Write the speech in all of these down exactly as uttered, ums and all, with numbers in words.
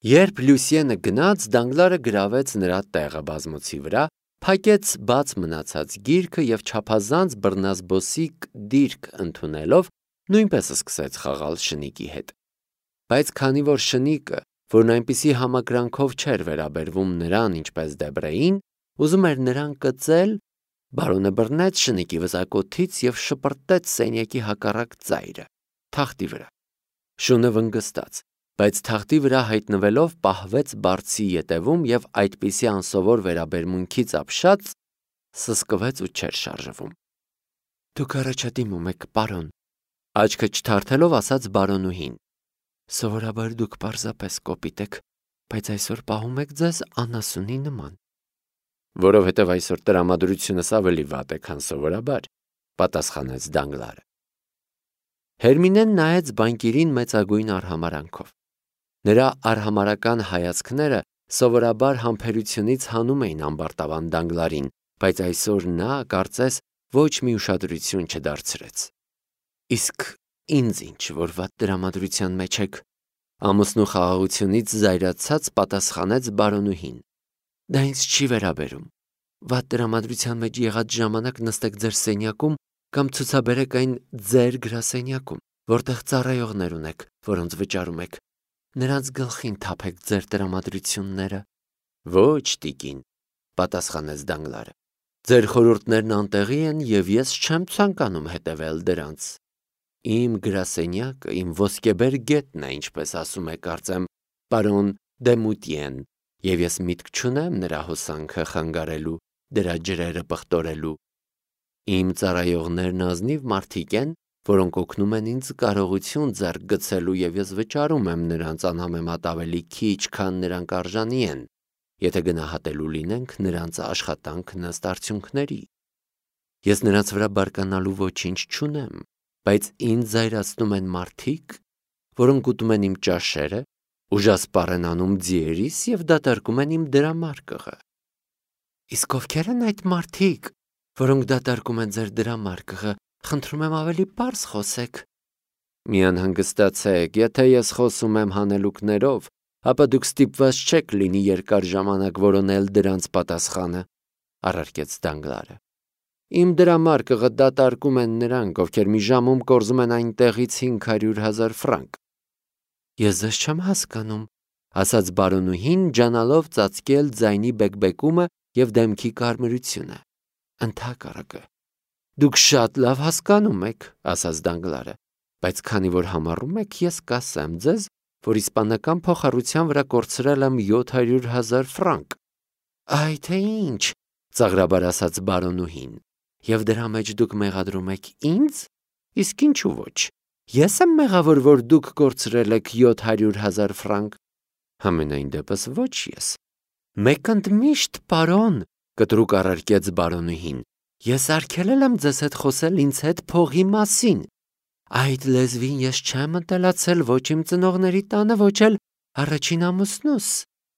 Երբ Լյուսիենը գնաց, Դանգլարը գրավեց նրա տեղը բազմոցի վրա, փակեց բաց մնացած գիրքը և չափազանց բռնազբոսիկ դիրք ընդունելով նույնպես սկսեց խաղալ շնիկի հետ։ Բայց քանի որ շնիկը, որն այնպիսի համակրանքով չէր վերաբերվում նրան, ինչպես Դեբրեին, ուզում էր նրան կծել, բարոնը բռնեց շնիկի վզակոթից և շպրտեց սենյակի հակառակ ծայրը, թախտի վրա։ Շունը վնգստաց, բայց թախտի վրա հայտնվելով պահվեց բարձի ետևում և այդպիսի անսովոր վերաբերմունքից ապշած սսկվեց ու չէր շարժվում։ Դուք առաջադիմում եք, պարոն, աչքը չթարթելով ասաց բարոնուհին։ Սովորաբար դուք պարզապես կոպիտ եք, բայց այսօր պահում եք ձեզ անասունի նման։ Որովհետև այսօր տրամադրությունս ավելի վատ է, քան սովորաբար, պատասխանեց Դանգլարը։ Հերմինեն նայեց բանկիրին մեծագույն արհամարանքով։ Նրա արհամարական հայացքները սովորաբար համբերությունից հանում էին ամբարտավան Դանգլարին, բայց այսօր նա, կարծես, ոչ մի ուշադրություն չդարձրեց։ Իսկ ինձ ինչ, որ վատ տրամադրության մեջ եք, ամուսնու խաղաղությունից զայրացած պատասխանեց բարոնուհին։ Դա ինձ չի վերաբերում։ Վատ տրամադրության մեջ եղած ժամանակ նստեք ձեր սենյակում կամ ցուցաբերեք այն ձեր գրասենյակում, որտեղ ծառայողներ ունեք, որոնց վճարում եք։ Նրանց գլխին թափեք ձեր տրամադրությունները։ Ոչ, տիկին, պատասխանեց Դանգլարը։ Ձեր խորհուրդներն անտեղի են և ես չեմ ցանկանում հետևել դրանց։ Իմ գրասենյակը իմ ոսկեբեր գետն է, ինչպես ասում է, կարծեմ, պարոն Դեմուտիեն, և ես միտք չունեմ նրա հոսանքը խանգարելու, դրա ջրերը պղտորելու։ Իմ ծառայողներն ազնիվ մարդիկ են, որոնք օգնում են ինձ կարողություն ձեռք գցելու և ես վճարում եմ նրանց անհամեմատ ավելի քիչ, քան նրանք արժանի են, եթե գնահատելու լինենք նրանց աշխատանքն ըստ արդյունքների։ Ես նրանց վրա բարկանալու ոչինչ չունեմ, բայց ինձ զայրացնում են մարդիկ, որոնք ուտում են իմ ճաշերը, ուժասպառ են անում ձիերիս և դատարկում են իմ դրամարկղը։ Իսկ ովքեր են այդ մարդիկ, որոնք դատարկում են ձեր դրամարկղը, խնդրում եմ ավելի պարզ խոսեք։ Մի անհանգստացեք, եթե ես խոսում եմ հանելուկներով, ապա դուք ստիպված չեք լինի երկար ժամանակ որոնել դրանց պատասխանը, առարկեց Դանգլարը։ Իմ դրամարկղը դատարկում են նրանք, ովքեր մի ժամում կորզում են այնտեղից հինգ հարյուր հազար ֆրանկ։ Ես ձեզ չեմ հասկանում, ասաց բարոնուհին, ջանալով ծածկել ձայնի բեկբեկումը և դեմքի կարմրությունը։ Ընդհակառակը։ Դուք շատ լավ հասկանում եք, ասաց Դանգլարը, բայց քանի որ համառում եք, ես կասեմ ձեզ, որ իսպանական փոխառության վրա կորցրել եմ յոթ հարյուր հազար ֆրանկ։ Այ թե ինչ, ծաղրաբար ասաց բարոնուհին, և դրա մեջ դուք մեղադրում եք ինձ, իսկ ինչու ոչ։ Ես եմ մեղավոր, որ դուք կորցրել եք յոթ հարյուր հազար ֆրանկ։ Համենայն դեպս ոչ ես։ Մեկ ընդմիշտ, պարոն, կտրուկ առարկեց բարոնուհին, ես արգելել եմ ձեզ հետ խոսել ինձ հետ փողի մասին։ Այդ լեզվին ես չեմ ընտելացել ոչ իմ ծնողների տանը, ոչ էլ առաջին ամուսնուս։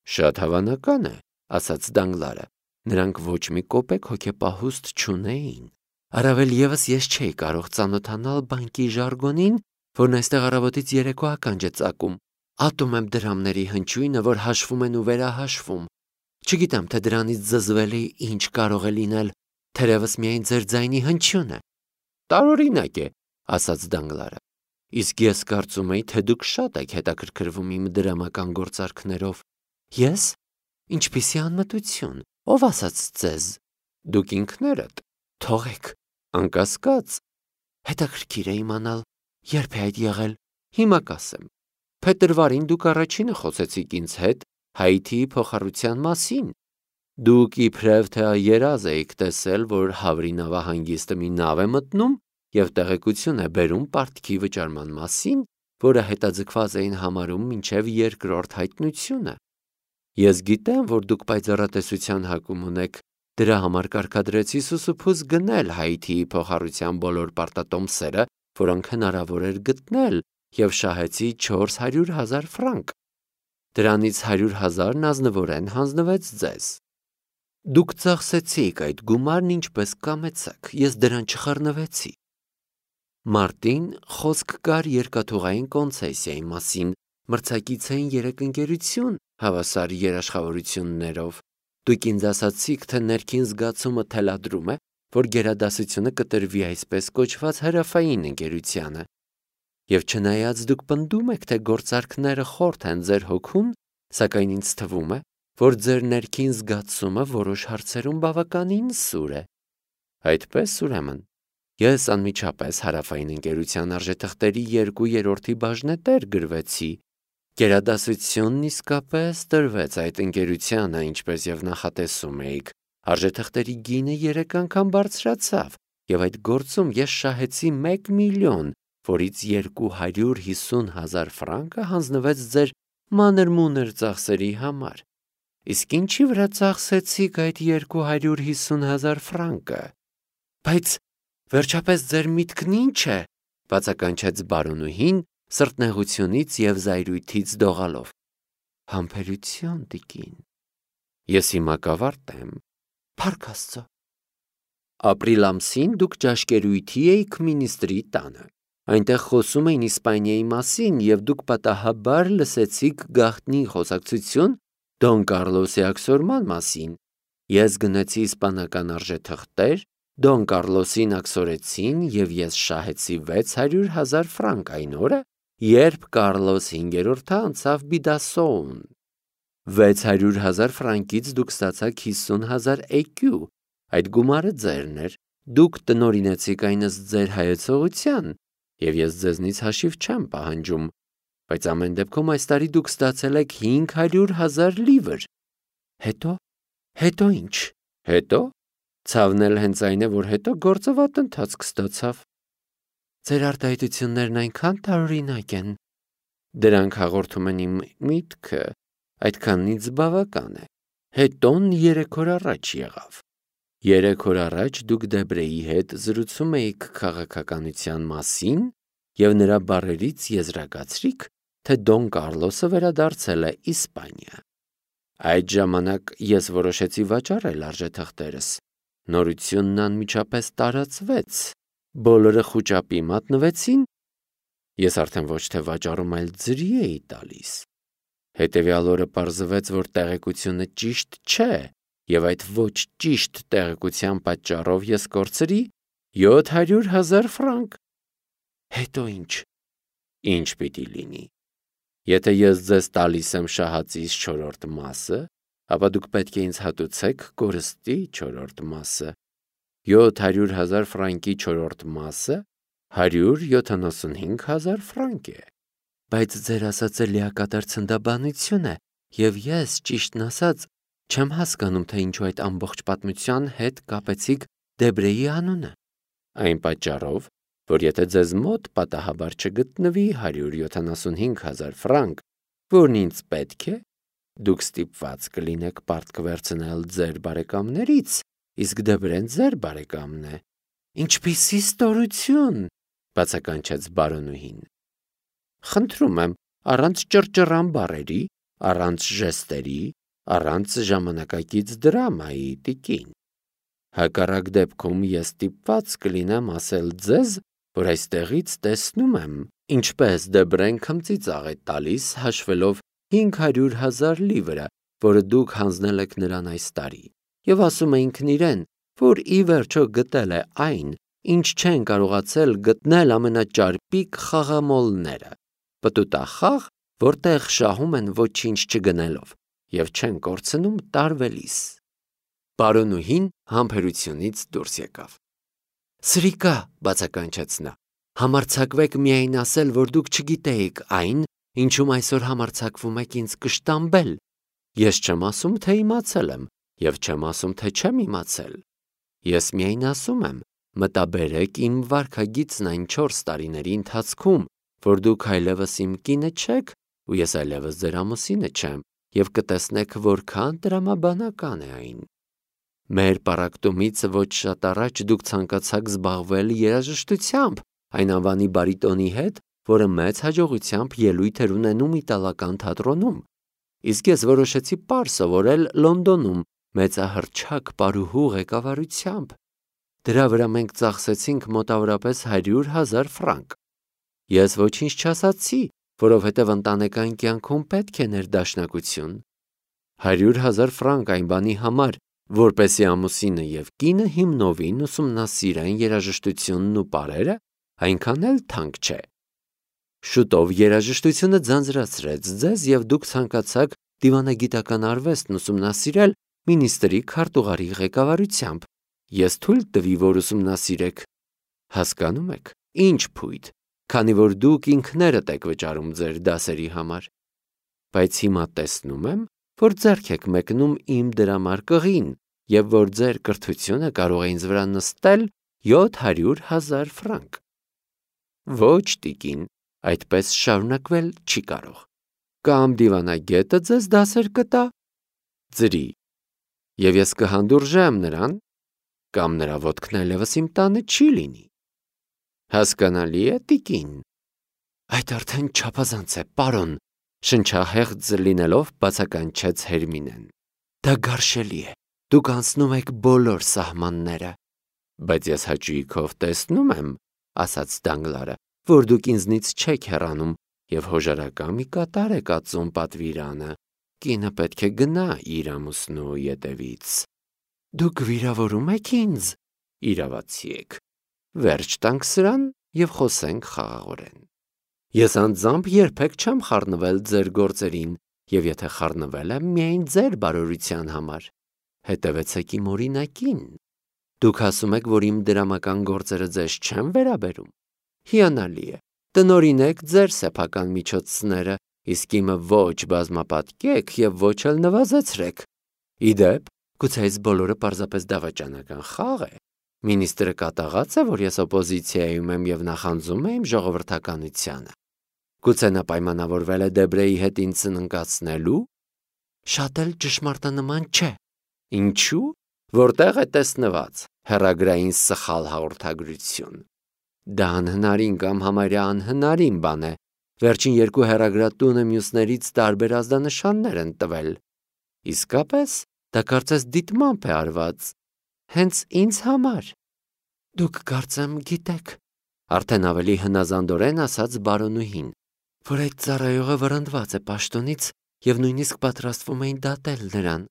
Շատ հավանական է, ասաց Դանգլարը, նրանք ոչ մի կոպեկ հոգեպահուստ չունեին։ Առավել ևս ես չէի կարող ծանոթանալ բանկի ժարգոնին, որն այստեղ առավոտից երեկո ականջ է ծակում։ Ատում եմ դրամների հնչյունը, որ հաշվում են ու վերահաշվում։ Չգիտեմ, թե դրանից զզվելի ինչ կարող է լինել, թերևս միայն ձեր ձայնի հնչյունը։ Տարօրինակ է, ասաց Դանգլարը։ Իսկ ես կարծում էի, թե դուք շատ եք հետաքրքրվում իմ դրամական գործարքներով։ Ես։ Ինչպիսի անմտություն, ով ասաց ձեզ։ Դուք ինքներդ։ Թողեք, անկասկած։ Հետաքրքիր է իմանալ, երբ է այդ եղել։ Հիմա կասեմ։ Փետրվարին դուք առաջինը խոսեցիք ինձ հետ Հայիթիի փոխառության մասին։ Դուք իբրև թե երազ էիք տեսել, որ Հավրի նավահանգիստը մի նավ է մտնում և տեղեկություն է բերում պարտքի վճարման մասին, որը հետաձգված էին համարում մինչև երկրորդ հայտնությունը։ Ես գիտեմ, որ դուք պայծառատեսության հակում ունեք, դրա համար կարգադրեցի սուսուփուս գնել Հայիթիի փոխառության բոլոր պարտատոմսերը, որոնք հնարավոր էր գտնել, և շահեցի չորս հարյուր հազար ֆրանկ։ Դրանից հարյուր հազարն ազնվորեն հանձնվեց ձեզ։ Դուք ծախսեցիք այդ գումարն ինչպես կամեցաք, ես դրան չխառնվեցի։ Մարտին խոսք կար երկաթուղային կոնցեսիայի մասին, մրցակից էին երեք ընկերություն հավասար երաշխավորություններով։ Դուք ինձ ասացիք, թե ներքին զգացումը թելադրում է, որ գերադասությունը կտրվի այսպես կոչված հարավային ընկերությանը։ Եվ չնայած դուք պնդում եք, թե գործարքները խորթ են ձեր հոգուն, սակայն ինձ թվում է, որ ձեր ներքին զգացումը որոշ հարցերում բավականին սուր է։ Այդպես, ուրեմն, ես անմիջապես հարավային ընկերության արժեթղթերի երկու երրորդի բաժնետեր գրվեցի։ Գերադասությունն իսկապես տրվեց այդ ընկերությանը, ինչպես եւ նախատեսում էիք։ Արժեթղթերի գինը երեք անգամ բարձրացավ, եւ այդ գործում ես շահեցի մեկ միլիոն, որից երկու հարյուր հիսուն հազար ֆրանկը հանձնվեց ձեր մանր-մունր ծախսերի համար։ Իսկ ինչի վրա ծախսեցիք այդ երկու հարյուր հիսուն հազար ֆրանկը։ Բայց վերջապես ձեր միտքն ի՞նչ է, բացականչեց բարոնուհին սրտնեղությունից եւ զայրույթից դողալով։ Համբերություն, տիկին։ Ես հիմա կավարտ եմ։ Փառք Աստծո։ Ապրիլ ամսին դուք ճաշկերույթի էիք մինիստրի տանը։ Այնտեղ խոսում էին Իսպանիայի մասին եւ դուք պատահաբար լսեցիք գաղտնի խոսակցություն Դոն Կարլոսի աքսորման մասին։ Ես գնացի իսպանական արժեթղթեր, Դոն Կարլոսին աքսորեցին եւ ես շահեցի վեց հարյուր հազար ֆրանկ այն օրը, երբ Կարլոս հինգերորդը անցավ Բիդասոուն։ վեց հարյուր հազար ֆրանկից դուք ստացաք հիսուն հազար էկյու։ Այդ գումարը ձերն էր։ Դուք տնօրինեցիք այն ըստ ձեր հայեցողության, եւ ես ձեզնից հաշիվ չեմ պահանջում, բայց ամեն դեպքում այս տարի դուք ստացել եք հինգ հարյուր հազար լիվր։ Հետո, հետո ինչ։ Հետո ցավն էլ հենց այն է, որ հետո գործը վատ ընթացք ստացավ։ Ձեր արտահայտություններն այնքան տարօրինակ են։ Դրանք հաղորդում են իմ միտքը, այդքանից բավական է։ Հետոն երեք օր առաջ եղավ։ Երեք օր առաջ դուք Դեբրեի հետ զրուցում էիք քաղաքականության մասին եւ նրա բառերից եզրակացրիք, թե Դոն Կարլոսը վերադարձել է Իսպանիա։ Այդ ժամանակ ես որոշեցի վաճառել արժեթղթերս։ Նորությունն անմիջապես տարածվեց։ Բոլորը խուճապի մատնվեցին։ Ես արդեն ոչ թե վաճառում, այլ ձրի էի տալիս։ Հետևյալ օրը պարզվեց, որ տեղեկությունը ճիշտ չէ, եւ այդ ոչ ճիշտ տեղեկության պատճառով ես կորցրի յոթ հարյուր հազար ֆրանկ։ Հետո ինչ։ Ինչ պիտի լինի։ Եթե ես ձեզ տալիս եմ շահածիս չորրորդ մասը, ապա դուք պետք է ինձ հատուցեք կորստի չորրորդ մասը։ յոթ հարյուր հազար ֆրանկի չորրորդ մասը հարյուր յոթանասունհինգ հազար ֆրանկ է։ Բայց ձեր ասածը լիակատար ցնդաբանություն է, եւ ես, ճիշտն ասած, չեմ հասկանում, թե ինչու այդ ամբողջ պատմության հետ կապեցիք Դեբրեի անունը։ Այն պատճառով, որ եթե ձեզ մոտ պատահաբար չգտնվի հարյուր յոթանասունհինգ հազար ֆրանկ, որն ինձ պետք է, դուք ստիպված կլինեք պարտք վերցնել ձեր բարեկամներից, իսկ Դեբրեն ձեր բարեկամն է։ Ինչպիսի ստորություն, բացականչեց բարոնուհին։ Խնդրում եմ, առանց ճռճռան բառերի, առանց ժեստերի, առանց ժամանակակից դրամայի, տիկին։ Հակառակ դեպքում ես ստիպված կլինեմ ասել ձեզ, որ այստեղից տեսնում եմ, ինչպես Դեբրեն քմծիծաղ է տալիս հաշվելով հինգ հարյուր հազար լիվրը, որը դուք հանձնել եք նրան այս տարի, եւ ասում է ինքն իրեն, որ ի վերջո գտել է այն, ինչ չեն կարողացել գտնել ամենաճարպիկ խաղամոլները։ Պտուտախաղ, որտեղ շահում են ոչինչ չգնելով եւ չեն կորցնում տարվելիս։ Բարոնուհին համբերությունից դուրս եկավ։ Սրիկա, բացականչեց նա, համարձակվեք միայն ասել, որ դուք չգիտեիք այն, ինչում այսօր համարձակվում եք ինձ կշտամբել։ Ես չեմ ասում, թե իմացել եմ, եւ չեմ ասում, թե չեմ իմացել։ Ես միայն ասում եմ, մտաբերեք իմ վարքագիծն այն չորս տարիների ընթացքում, որ դուք այլևս իմ կինը չեք, ու ես այլևս ձեր ամուսինը չեմ, եւ կտեսնեք որքան տրամաբանական է այն։ Մեր պառակտումից ոչ շատ առաջ դուք ցանկացաք զբաղվել երաժշտությամբ, այն անվանի բարիտոնի հետ, որը մեծ հաջողությամբ ելույթ էր ունենում իտալական թատրոնում։ Իսկ ես որոշեցի պար սովորել Լոնդոնում մեծահռչակ պարուհու ղեկավարությամբ։ Դրա վրա մենք ծախսեցինք մոտավորապես հարյուր հազար ֆրանկ։ Ես ոչինչ չասացի, որովհետև ընտանեկան կյանքում պետք է ներդաշնակություն։ Հարյուր հազար ֆրանկ այն բանի համար, որպեսզի ամուսինը և կինը հիմնովին ուսումնասիրեն երաժշտությունն ու պարերը, այնքան էլ թանկ չէ։ Շուտով երաժշտությունը ձանձրացրեց ձեզ և դուք ցանկացաք դիվանագիտական արվեստն ուսումնասիրել մինիստրի քարտուղարի ղեկավարությամբ։ Ես թույլ տվի, որ ուսումնասիրեք։ Հասկանում եք, ինչ փույթ, քանի որ դուք ինքներդ եք վճարում ձեր դասերի համար։ Բայց հիմա տեսնում եմ, որ ձեռք եք մեկնում իմ դրամարկղին և որ ձեր կրթությունը կարող է ինձ վրա նստել յոթ հարյուր հազար ֆրանկ։ Ոչ, տիկին, այդպես շարունակվել չի կարող։ Կամ դիվանագետը ձեզ դասեր կտա, ձրի, և ես կհանդուրժեմ նրան, կամ նրա ոտքն այլևս իմ տանը չի լինի։ Հասկանալի է, տիկին։ Այդ արդեն չափազանց է, պարոն, շնչահեղձ լինելով բացականչեց Հերմինեն։ Դա գարշելի է, դուք անցնում եք բոլոր սահմանները։ Բայց ես հաճույքով տեսնում եմ, ասաց Դանգլարը, որ դուք ինձնից չեք հեռանում և հոժարակա մի կատար եք ածում պատվիրանը։ Կինը պետք է գնա իր ամուսնու ետևից։ Դուք վիրավորում եք ինձ։ Իրավացի եք։ Վերջ տանք սրան և խոսենք խաղաղորեն։ Ես անձամբ երբեք չեմ խառնվել ձեր գործերին, և եթե խառնվել եմ, միայն ձեր բարօրության համար։ Հետևեցեք իմ օրինակին։ Դուք ասում եք, որ իմ դրամական գործերը ձեզ չեն վերաբերում։ Հիանալի է, տնօրինեք ձեր սեփական միջոցները, իսկ իմը ոչ բազմապատկեք և ոչ էլ նվազեցրեք։ Ի դեպ, գուցե այս բոլորը պարզապես դավաճանական խաղ է։ Մինիստրը կատաղած է, որ ես օպոզիցիայում եմ և նախանձում է իմ ժողովրդականությանը։ Գուցե նա պայմանավորվել է Դեբրեի հետ ինձ սննկացնելու։ Շատ էլ ճշմարտանման չէ։ Ինչու՞։ Որտեղ է տեսնված հեռագրային սխալ հաղորդագրություն։ Դա անհնարին կամ համարյա անհնարին բան է։ Վերջին երկու հեռագրատունը մյուսներից տարբեր ազդանշաններ են տվել։ Իսկապես, դա կարծես դիտմամբ է արված։ Հենց ինձ համար։ Դուք կարծեմ գիտեք, արդեն ավելի հնազանդորեն ասաց բարոնուհին, որ այդ ծառայողը վռնդված է պաշտոնից և նույնիսկ պատրաստվում էին դատել նրան։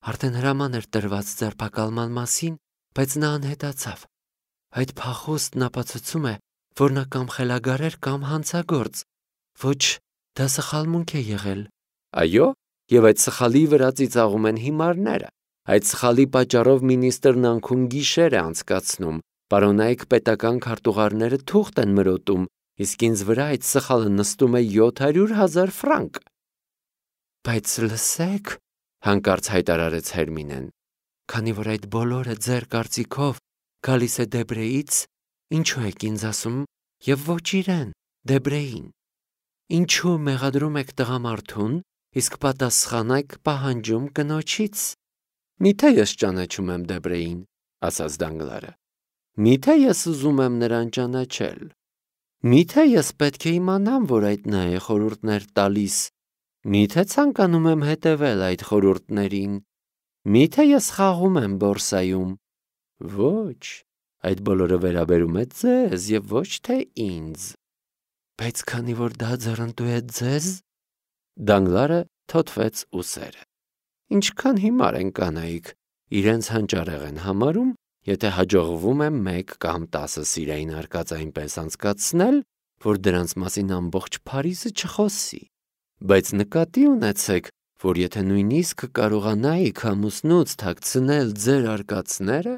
Արդեն հրաման էր տրված ձերբակալման մասին, բայց նա անհետացավ։ Այդ փախուստն ապացուցում է, որ նա կամ խելագար էր, կամ հանցագործ։ Ոչ, դա սխալմունք է եղել։ Այո, և այդ սխալի վրա ծիծաղում են հիմարները։ Այդ սխալի պատճառով մինիստրն անքուն գիշեր է անցկացնում, պարոնայք պետական քարտուղարները թուղթ են մրոտում, իսկ ինձ վրա այդ սխալը նստում է յոթ հարյուր հազար ֆրանկ։ Բայց լսեք, հանկարծ հայտարարեց Հերմինեն, քանի որ այդ բոլորը ձեր կարծիքով գալիս է Դեբրեից, ինչու եք ինձ ասում և ոչ իրեն, Դեբրեին։ Ինչու մեղադրում եք տղամարդուն, իսկ պատասխանեք պահանջում կնոջից։ Միթե ես ճանաչում եմ Դեբրեին, ասաց Դանգլարը։ Միթե ես ուզում եմ նրան ճանաչել։ Միթե ես պետք է իմանամ, որ այդ նա է խորհուրդներ տալիս։ Միթե ցանկանում եմ հետևել այդ խորհուրդներին։ Միթե ես խաղում եմ բորսայում։ Ոչ, այդ բոլորը վերաբերում է ձեզ և ոչ թե ինձ։ Բայց քանի որ դա ձեռնտու է ձեզ, Դանգլարը թոթվեց ուսերը։ Ինչքան հիմար են կանայք, իրենց հանճարեղ են համարում, եթե հաջողվում է մեկ կամ տասը սիրային արկած այնպես անցկացնել, որ դրանց մասին ամբողջ Փարիզը չխոսի։ Բայց նկատի ունեցեք, որ եթե նույնիսկ կարողանայիք ամուսնուց թաքցնել ձեր արկածները,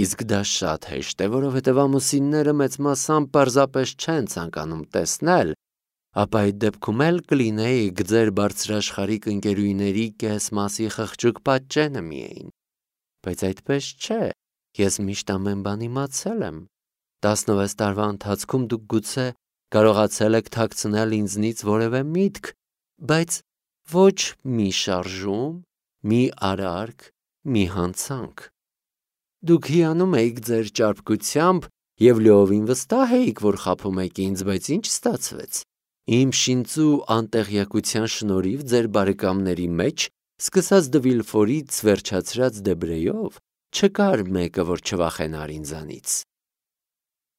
իսկ դա շատ հեշտ է, որովհետև ամուսինները մեծ մասամբ պարզապես չեն ցանկանում տեսնել, ապա այդ դեպքում էլ կլինեիք ձեր բարձրաշխարհիկ ընկերուհիների կես մասի խղճուկ պատճենը միայն։ Բայց այդպես չէ, ես միշտ ամեն բան իմացել եմ։ Տասնվեց տարվա ընթացքում դուք գուցե կարողացել եք թաքցնել ինձնից որևէ միտք, բայց ոչ մի շարժում, մի արարք, մի հանցանք։ Դուք հիանում էիք ձեր ճարպկությամբ և լիովին վստահ էիք, որ խաբում եք ինձ, բայց ինչ ստացվեց։ Իմ շինծու անտեղյակության շնորհիվ ձեր բարեկամների մեջ, սկսած Դը Վիլֆորից վերջացրած Դեբրեյով, չկար մեկը, որ չվախենար ինձանից։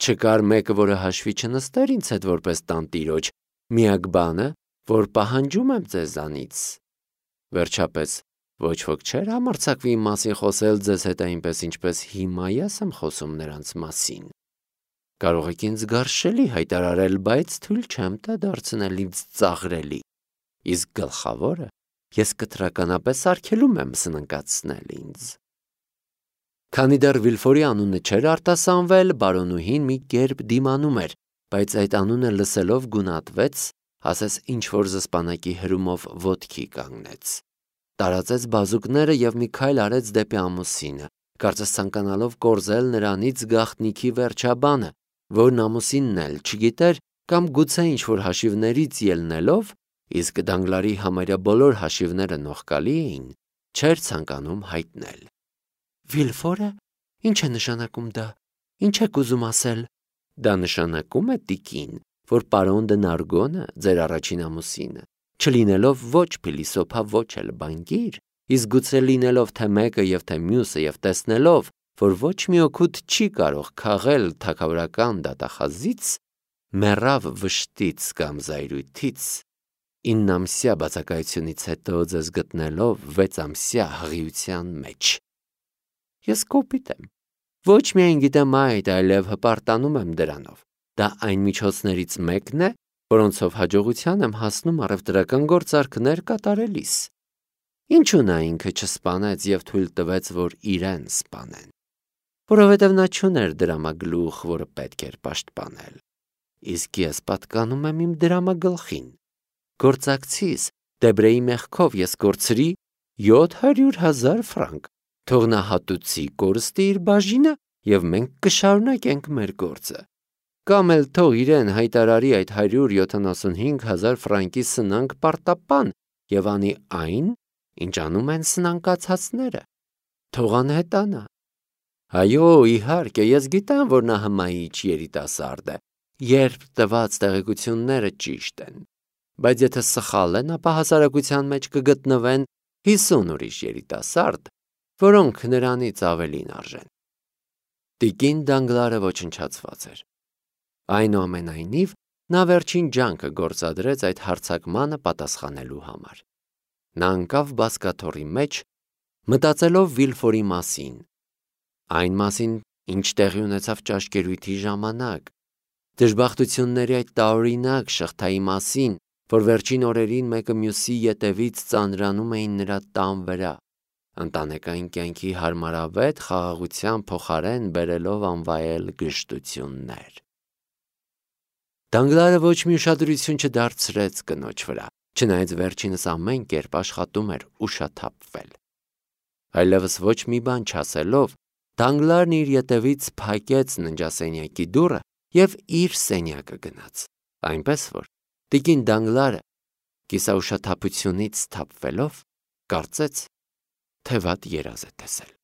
Չկար մեկը, որը հաշվի չնստեր ինձ հետ որպես տանտիրոջ, Միակ բանը, որ պահանջում եմ ձեզանից։ Վերջապես, ոչ ոք չէր համարձակվի իմ մասին խոսել ձեզ հետ այնպես, ինչպես հիմա ես եմ խոսում նրանց մասին։ Կարող եք ինձ գարշելի հայտարարել, բայց թույլ չեմ տա դարձնել ինձ ծաղրելի։ Իսկ գլխավորը ես կտրականապես արգելում եմ սննկացնել ինձ։ Քանի դեռ Վիլֆորի անունը չէր արտասանվել, բարոնուհին մի կերպ դիմանում էր, բայց այդ անունը լսելով գունատվեց, ասես ինչ-որ զսպանակի հրումով ոտքի կանգնեց։ Տարածեց բազուկները և մի քայլ արեց դեպի ամուսինը, կարծես ցանկանալով կորզել նրանից գաղտնիքի վերջաբանը, որն ամուսինն էլ չգիտեր կամ գուցե ինչ-որ հաշիվներից ելնելով, իսկ Դանգլարի համարյա բոլոր հաշիվները նողկալի էին, չէր ցանկանում հայտնել։ Վիլֆորը, ի՞նչ է նշանակում դա, ի՞նչ եք ուզում ասել։ Դա նշանակում է, տիկին, որ պարոն դե Նարգոնը, ձեր առաջին ամուսինը, չլինելով ոչ փիլիսոփա, ոչ էլ բանկիր, իսկ գուցե լինելով թե մեկը և թե մյուսը և տեսնելով, որ ոչ մի օգուտ չի կարող քաղել թագավորական դատախազից, մեռավ վշտից կամ զայրույթից, իննամսյա բացակայությունից հետո ձեզ գտնելով վեցամսյա հղիության մեջ։ Ես կոպիտ եմ, ոչ միայն գիտեմ այդ, այլև հպարտանում եմ դրանով։ Դա այն միջոցներից մեկն է, որոնցով հաջողության եմ հասնում առևտրական գործարքներ կատարելիս։ Ինչու նա ինքը չսպանեց և թույլ տվեց, որ իրեն սպանեն։ Որովհետև նա չուներ դրամագլուխ, որը պետք էր պաշտպանել։ Իսկ ես պատկանում եմ իմ դրամագլխին։ Գործակցիս Դեբրեի մեղքով ես կորցրի յոթ հարյուր հազար ֆրանկ, թող նա հատուցի կորստի իր բաժինը և մենք կշարունակենք մեր գործը։ Կամ էլ թող իրեն հայտարարի այդ հարյուր յոթանասունհինգ հազար ֆրանկի սնանկ պարտապան և անի այն, ինչ անում են սնանկացածները։ Թող անհետանա։ Այո, իհարկե, ես գիտեմ, որ նա հմայիչ երիտասարդ է, երբ տված տեղեկությունները ճիշտ են, բայց եթե սխալ են, ապա հասարակության մեջ կգտնվեն հիսուն ուրիշ երիտասարդ, որոնք նրանից ավելին արժեն։ Տիկին Դանգլարը ոչնչացված էր։ Այնուամենայնիվ, նա վերջին ջանքը գործադրեց այդ հարձակմանը պատասխանելու համար։ Նա ընկավ բազկաթոռի մեջ, մտածելով Վիլֆորի մասին, այն մասին, ինչ տեղի ունեցավ ճաշկերույթի ժամանակ, դժբախտությունների այդ տարօրինակ շղթայի մասին, որ վերջին օրերին մեկը մյուսի ետևից ծանրանում էին նրա տան վրա, ընտանեկան կյանքի հարմարավետ խաղաղության փոխարեն բերելով անվայել գժտություններ։ Դանգլարը ոչ մի ուշադրություն չդարձրեց կնոջ վրա, չնայած վերջինս ամեն կերպ աշխատում էր ուշաթափվել։ Այլևս ոչ մի բան չասելով, Դանգլարն իր ետևից փակեց ննջասենյակի դուռը և իր սենյակը գնաց, այնպես որ տիկին Դանգլարը կիսաուշաթափությունից սթափվելով կարծեց, թե վատ երազ է տեսել։